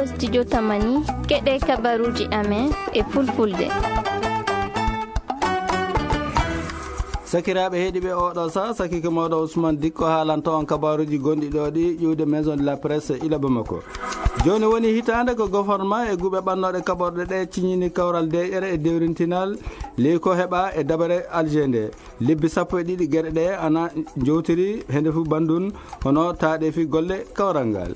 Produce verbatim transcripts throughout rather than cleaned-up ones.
Studio Tamani, keɗe kabaruuji amen e fulfulde. Sakiraaɓe heɗiiɓe oɗo sa, sakike mooɗo Ousmane Dikko haalanto on kabaruuji gonɗi ɗo ɗi ƴuwde Maison de la Presse ila Bamako. Jooni woni hitaande ko gofornma e guɓe ɓannooɗe kaɓorɗe ɗe ciñini kawral deeƴere e dewrintinal ley ko heɓa e dabare Alger nde. Lebbi sappo e ɗiɗi geɗe ɗe ana jowtiri hende fu bandun hono taaɗe fi golle kawral ngal.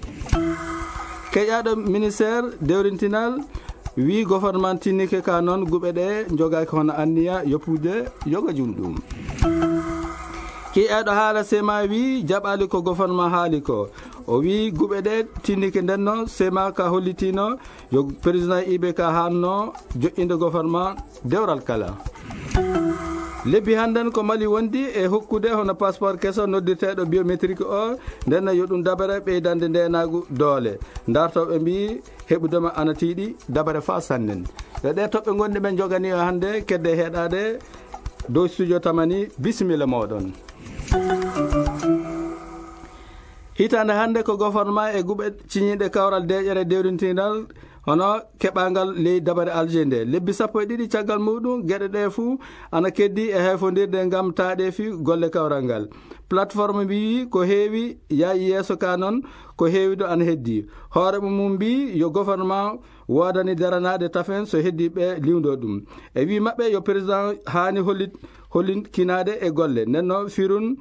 Keƴaɗo ministère dewrintinal wi gofornman tinnike ka noon guɓe ɗe jogaaki hono anniya yoppude yoga jum ɗum. Kiyaɗo haala sema wi jaɓali ko gofornman haali ko. O wi guɓe ɗe tinnike ndenno sema ka hollitino yo président I B K hanno joƴƴinde gofornman dewral kala. Lebbi hannden ko Mali wondi e hokkude hono passeport keso noddirteeɗo biométrique o, ndenno yo ɗum dabere ɓeydande ndenagu doole. Dartooɓe mbi heɓudema ana tiiɗi dabare fa sannen. Ɗe ɗe toɓɓe gonɗi ɓen jogani o hannde kedde heɗade dow studio Tamani, bisimilla moɗon. Hitaande hannde ko gofornma e guɓe ciñiiɗe kawral deeƴere dewrintinal hono keɓangal ley dabare Alger nde. Lebbi sappo e ɗiɗi caggal muɗum, geɗe ɗe fuu ana keddi e hayfondirde ngam taaɗeefi golle kawral ngal. Plateforme mbiyi ko heewi yaayi yeeso ka noon, ko heewi ɗo ana heddi. Hoore mum mbi yo gofornma woodani daranaade tafen so heddi ɓe liwndo ɗum. E wi maɓɓe yo président haani hollit, hollinkinaade e golle. Nden noon firun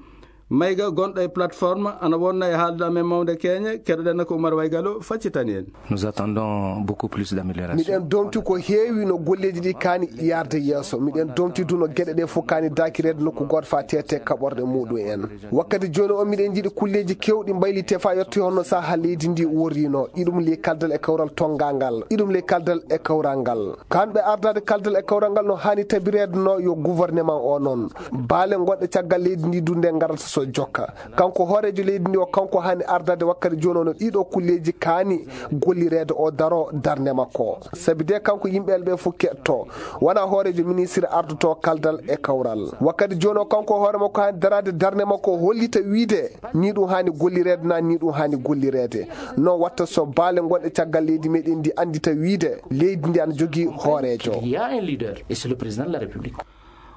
Mayga gonɗo e plateforme ana wonna e haaldude amen mawnde keñe, keɗoɗen ko Oumar Waygalo faccitani en. Nous attendons beaucoup plus d'amélioration. Miɗen domti ko heewi no golleeji ɗi kaani yarde yeeso. Miɗen domti du no geɗe ɗe fof kaani daakireede nokku gooto fa tete kaɓorɗe muɗum en. Wakkati jooni o miɗen jiɗi kulleeji kewɗi mbaylite fa yotti honno saha leydi ndi worrino. Iɗum ley kaldal e kawral tongangal. Iɗum ley kaldal e kawral ngal. Kamɓe ardade kaldal e kawral ngal no haani tabireede no yo gouvernement o noon. Baale gonɗe caggal leydi ndi du nde ngarata so jokka. Kanko hooreejo leydi ndi o kanko haani ardade wakkati jooni o no ɗiɗo kulleeji kaani gollireede o daro darnde makko. Sabi de kanko yimɓe ɓe fof keɗto. Wona hooreejo ministre ardoto kaldal e kawral. Wakkati jooni o kanko hoore makko haani darade darnde makko hollita wiide ni ɗum haani gollireede na ni ɗum haani gollireede. Noon watta so baale gonɗe caggal leydi meɗen ndi anndita wiide leydi ndi ana jogii hooreejo. Il y a un leader et c'est le président de la République.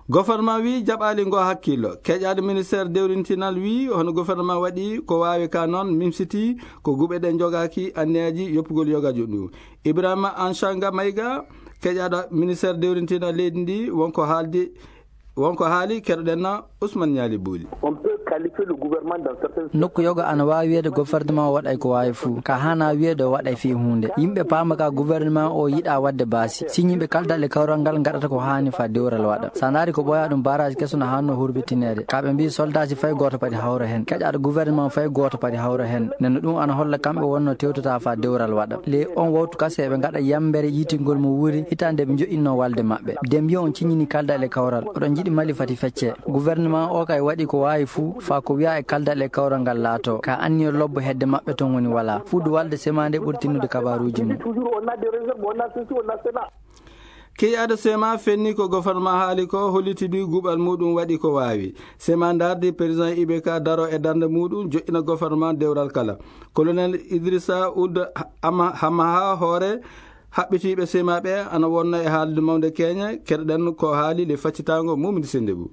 Gofornma wi jaɓali ngo hakkillo. Keƴaɗo ministère dewrintinal wi hono gofornma waɗi ko wawi ka noon mimsiti ko guɓe ɗe jogaki anniyaji yoppugol yogajo ndu. Ibrahima Anchanga Mayga, keƴaɗo ministère dewrintinal leydi ndi wonko haaldi, wonko haali keɗoɗen na Ousmane Niali Bouli. On peut qualifier le gouvernement dans certains... Nokku yoga ana waawi wiyeede gouvernement o waɗay ko waawi fuu. Ka haana wiyeede o waɗay fii huunde. Yimɓe paama ka gouvernement o yiɗa waɗde baasi. Siñiiɓe kaldal e kawral ngal ngaɗata ko haani fa dewral waɗa. Sa ndaari ko ɓooya ɗum barrage keso no haanno hurbitineede. Ka ɓe mbii soldaaji fay gooto padi hawra hen. Keƴaɗo gouvernement fay gooto padi hawra hen. Nden no ɗum ana holla kamɓe wonno tewtata fa dewral waɗa. Le on wawtu kase ɓe ngaɗa yambere yiitingol mo wuuri hitaande ɓe joƴƴinno walde maɓɓe. Dembiyo on ciñini kaldal e kawral. Oɗon jiɗi Mali fati fecce. Gouvernement o kay waɗi ko waawi fuu, faa ko wi'a e kaldal e kawral ngal laato. Ka anniya lobbo hedde maɓɓe ton woni wala. Fuudu walde semaande ɓuri tinnude kabaruuji mum. Toujours, on a des réserves, on a ceci, on a cela. Keyado Sema fenni ko gouvernement haali ko, holliti du guɓal muɗum waɗi ko waawi. Sema ndardi président I B K daro e darnde muɗum, joƴƴina gouvernement dewral kala. Colonel Idrissa Ould Ama-, Hamaha hoore haɓɓitiiɓe sema ɓe ana wonna e haalde mawnde keñe, keɗoɗen ko haali le faccitango Mumini Sendebou.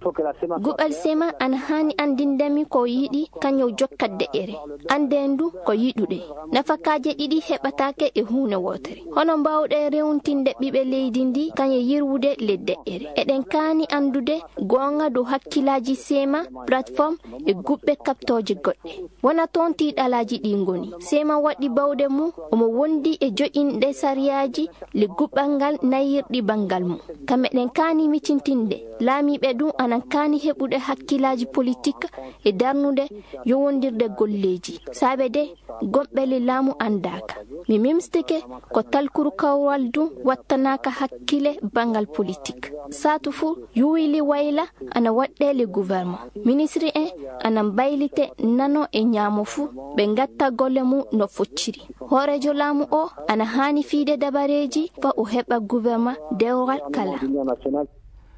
Guɓal sema ana haani anndinde mi ko yiɗi kañum jokkat deƴƴere. Annden du ko yiɗuɗe. Nafakaaje ɗiɗi heɓataake e huunde wootere. Hono mbaawɗe rewntinde ɓiɓe leydi ndi kañe yirwude le deƴƴere? Eɗen kaani anndude goonga dow hakkillaaji sema, plateforme e guɓɓe kaɓtooje goɗɗe. Wona toon tiiɗalaaji ɗi ngoni. Sema waɗi bawɗe mum, omo wondi e joƴƴinde sariyaaji le guɓɓal ngal nayirɗi banngal mum. Ka meɗen kaani micintinde, laamiiɓe ɗum anan kaani heɓude hakkillaaji politik e darnude yowondirde golleeji. Saabe de, gomɓe le laamu anndaaka. Mi mimstike ko talkuru kawral ɗum wattanaaka hakkille banngal politik. Saatu fuu, yuwili wayla ana waɗɗe le gouvernement. Ministre en ana mbaylite nano e ñaamo fuu, ɓe ngatta golle mum no focciri. Hooreejo laamu o ana haani fiide dabareeji fa o heɓa gouvernement dewral kala.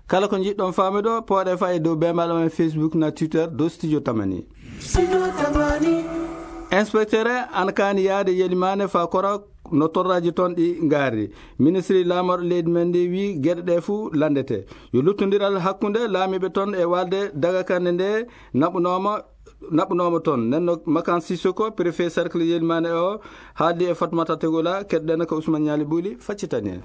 Kala ko njiɗɗon faamude, pooɗe fa e dow beembal amen Facebook na Twitter dow Studio Tamani. Inspecteur ana kaani yaade Yelimane fa Kora no torraaji toon ɗi ngaari. Ministre laamorɗo leydi men ndi wi geɗe ɗe fuu lanndete. Yo luttondiral hakkunde laamiiɓe toon e waalde dagakande nde naɓunooma, naɓunooma toon. Nden no Makan Sissoko, préfet cercle Yelmane o, haaldi e Fatmata Tegola, keɗɗen ko Ousmane Niali Bouli, faccitani en.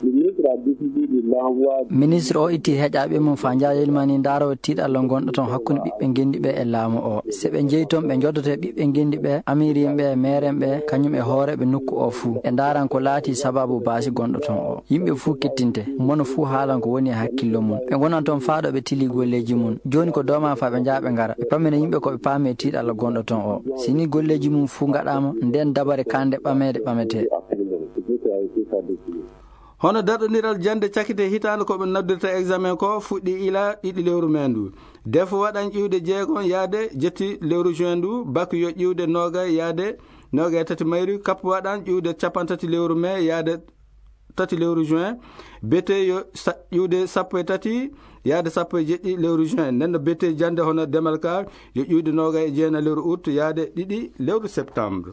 Ministre o itti heƴaaɓe mum faa njaha Yelmani ndaaroo tiiɗalla ngonɗo toon hakkunde ɓiɓɓe ngenndi ɓe e laamu o. Se ɓe njehi toon, ɓe njoddoto e ɓiɓɓe ngenndi ɓe, amiiriin ɓe, meeren ɓe, kañum e hooreeɓe nokku o fuu. Ɓe ndaaran ko laatii sabaabu baasi gonɗo toon o. Yimɓe fuu kettinte, mono fuu haalan ko woni e hakkillo mum. Ɓe ngonan toon faa ɗo ɓe tili golleeji mum. Jooni ko dooma faa ɓe njaha ɓe ngara. Ɓe pammina yimɓe ko ɓe paami e tiiɗalla gonɗo toon o. Si nii golleeji mum fuu ngaɗaama, ndeen dabare kaannde ɓameede ɓametee. Hono darɗondiral jannde cakite hitaande ko ɓe noddirta examen ko fuɗɗi ila ɗiɗi lewru mee ndu. Def waɗan ƴiwde jeegom yaade jetti lewru juin ndu, bak yo ƴiwde noogay yaade noogay tati mayru, kap waɗan ƴiwde cappanɗe tati lewru mee yaade tati lewru juin, bete yo sa-, ƴiwde sappo e tati yaade sappo e jeɗɗi lewru juin. Nden no bete jannde hono demal ka yo ƴiwde noogay e jeenayi lewru août yaade ɗiɗi lewru septembre.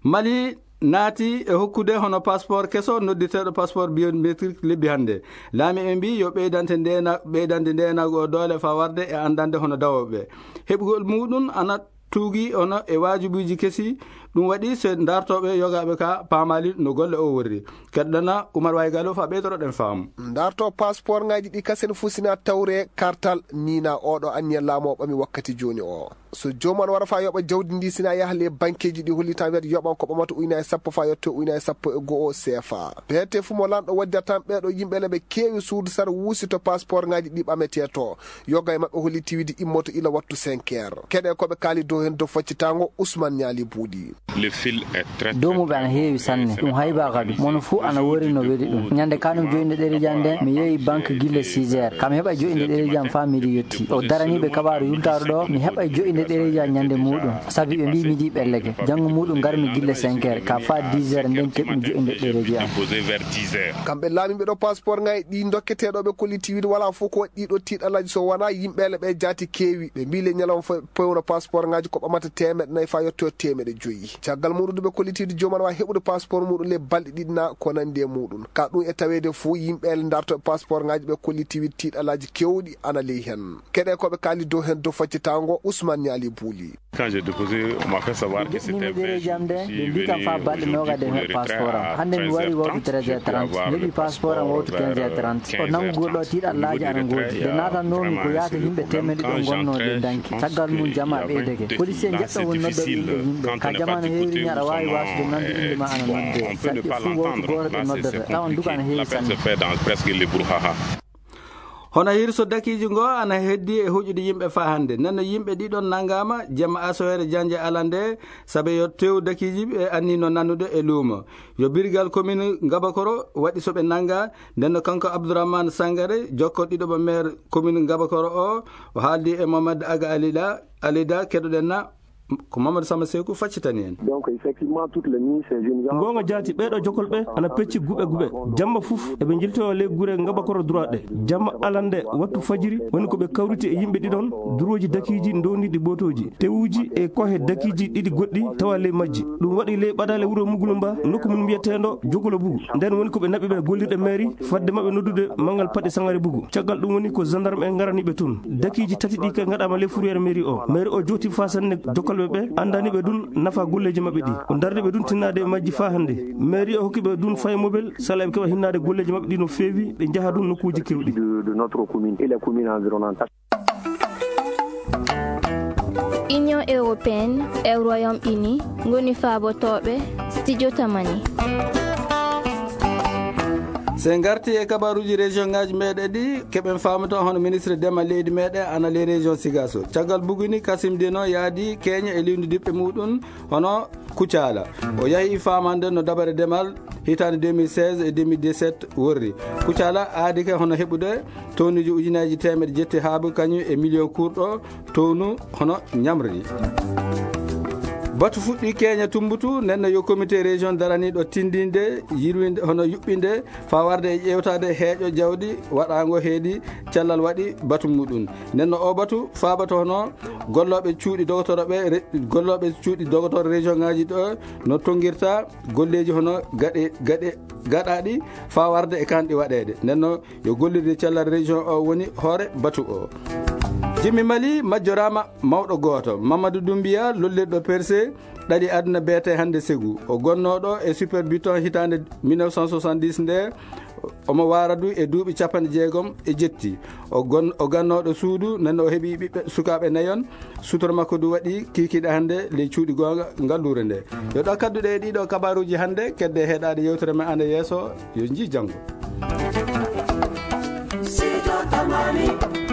Mali naati e hokkude hono passeport keso noddirteeɗo passeport biométrique lebbi hannde. Laamiiɓe mbii yo ɓeydante ndeena-, ɓeydande ndeenaagu o doole faa warde e anndande hono dawooɓe. Heɓugol muuɗum ana tuugi hono e waajibuuji kesi. Ɗum waɗi so dartooɓe yogaaɓe ka paamaali no golle o worri. Keɗɗana Umar Waygalo faa ɓeydoroɗen faamu. Darto passeport ngaaji ɗi kasen fuu sina tawre kartal niina oɗo anniya laamu o ɓami wakkati jooni o. So jooman wara faa yoɓa jawdi ndi sina yaha le bankeeji ɗi hollitan wiyata yoɓan ko ɓamata ujunaaji sappo faa yetto ujunaaji sappo e go'o seefa. Beete fuu mo lanɗo waddata tan ɓeeɗo yimɓe le ɓe keewi suudu sar wuusi to passeport ngaaji ɗi ɓametee to. Yoga e maɓɓe holliti wiide immoto ila wattu cinq heures. Keɗe ko ɓe kaali dow heen dow faccitaango Ousmane Niali Buuɗi. Le fil est très, Dow muɓe ana heewi sanne. Ɗum haybaa kadu. Mono fuu ana wori no weli ɗum. Ñande kanum joƴinde ɗereeji am nde, mi yehi banque gille six heures. Kam heɓa joƴinde ɗereeji am faa miɗo yetti. O daranii ɓe kabaaru yultaaru ɗo, mi heɓa joƴinde ɗereeji am ñande muuɗum. Sabi ɓe mbii miɗi ɓelleke. Janngo muuɗum ngarmi gille cinq heures, ka faa dix heures nden keɓmi joƴinde ɗereeji am. Déposé vers dix heures. Kamɓe laamiiɓe ɗo passeport ngaji ɗi dokketeeɗo ɓe kolliti wiide wala fof ko waɗi ɗiɗo tiiɗalaaji so wona yimɓe le ɓe jaati keewi. Ɓe mbii le ñalawma fof pewno passeport ngaji ko ɓamata teemeɗɗe nayi faa yetto teemeɗɗe joyi. Caggal muɗum ɓe kolliti wiide jooman wa heɓude passeport muɗum le balɗe ɗiɗi na ko nandi e muɗum. Ka ɗum e taweede fof yimɓe le darto e passeport ngaji ɓe kolliti wiide tiiɗalaaji kewɗi ana ley hen. Keɗe ko ɓe kaali dow hen dow faccitaango Ousmane Niali Buuli. Quand j'ai déposé, on m'a fait savoir que c'était vingt jours. Ɓe mbii kam faa balɗe noogaade mi heɓa passeport am. Hannde mi wari wawtu treize heures trente. Mi heɓi passeport am wawtu quinze heures trente. O nanngugol ɗo tiiɗallaaji ana ngoodi. Nde naatannoomi ko yaata yimɓe teemedde ɗo ngonnoo ɗe danki. Caggal mum jamaa ɓeydake. Policier njeɗɗo woni noddooɓe yimɓe yimɓe. Ka jamaanu heewini aɗa waawi waasude nande innde ma ana noddee. Saɗi fuu wowtu gooto ɓe noddata. Tawan duka ana heewi sanne. Hono hirso dakiiji ngo ana heddi e hoƴude yimɓe faa hannde. Nden no yimɓe ɗiɗon nanngaama jemma asoweere jannje alande, sabe yo tew dakiiji ɓe anniino nannude e luumo. Yo birgal commune Ngabakoro waɗi so ɓe nannga. Nden no kanko Abdourahmane Sangare, jokko ɗiɗo mo maire commune Ngabakoro o, o haaldi e Mohamed Aga Alida, Alida keɗoɗen na. Ko Mamadou Samba Sekou faccitani en. Donc, effectivement, toutes les nuits, ces jeunes gens... Goonga jaati, ɓeeɗo jokol ɓe ana pecci guɓe guɓe. Jamma fof, eɓe njiltoyo ley gure Ngabakoro droit ɗe. Jamma alande, wattu fajiri, woni ko ɓe kawriti e yimɓe ɗiɗon, durooji dakiiji, ndowniiɗi bootooji, tewuuji e kohe dakiiji ɗiɗi goɗɗi tawa ley majji. Ɗum waɗi ley ɓadaale wuro Mugulumba, nokku mum mbiyeteendo Jokolo Bugu. Nden woni ko ɓe naɓi ɓe gollirɗe mairie, fadde maɓɓe noddude manngal paɗe Sangare Bugu. Caggal ɗum woni ko gendarme en ngarani ɓe toon. Dakiiji tati ɗi kay ngaɗaama ley fourrière mairie o. Mairie o jooti faa sanne jokkalɓe ɓe, anndani ɓe ɗum nafa golleeji maɓɓe ɗi. O darni ɓe ɗum tinnaade e majji faa hannde. Mairie o hokki ɓe ɗum fay mobel, sala ɓe keɓa hinnaade golleeji maɓɓe ɗi no feewi, ɓe njaha ɗum nokkuuji keewɗi. De, de notre commune et les communes environnantes. Union européenne e Royaume-Uni ngoni faabotooɓe Studio Tamani. So en ngartii e kabaaruuji région ngaaji meeɗen ɗi, keɓen faamude hono ministre demal leydi meeɗen ana ley région Sigaso. Caggal buguni, Kasim Dino yaadi Keña e liwndidiɓɓe muɗum hono Kucala. O yahi faamande no dabare demal hitaande deux mille seize e deux mille dix-sept worri. Kucala aadi ke hono heɓude townuuji ujuneeji teemedde jetti haabu kañum e miliyon kurɗo townu hono ñamri. Batu fuɗɗi keña tumbutu, nenno yo comité région daraniiɗo tindinde, yirwinde, hono yuɓɓinde, faa warde e ƴeewtaade heeƴo jawdi waɗaango heedi cellal waɗi batu muɗum. Nenno o batu faabato hono gollooɓe cuuɗi dogotoro ɓe, re-, gollooɓe cuuɗi dogotoro région ŋaaji ɗo no tonngirta golleeji hono gaɗe, gaɗe, gaɗaaɗi faa warde e kanɗi waɗeede. Nenno yo gollirde cellal région o woni hoore batu o. Jimmi Mali majjoraama mawɗo gooto, Mamadou Doumbia, lollirɗo Perse, ɗali aduna beete hannde Ségou. O gonnooɗo e Super Biton hitaande mille neuf cent soixante-dix nde, omo waara du e duuɓi capanɗe jeegom e jetti. O gon-, o gannooɗo suudu, nenno o heɓi ɓiɓɓe sukaaɓe nayon. Sutura makko du waɗi kiikiiɗe hannde ley cuuɗi goonga ngalluure nde. Yo ɗo kadduɗe e ɗiɗo kabaaruuji hannde, kedde heɗaade yewtere men ande yeeso, yo njii janngo. Sijo Tamani.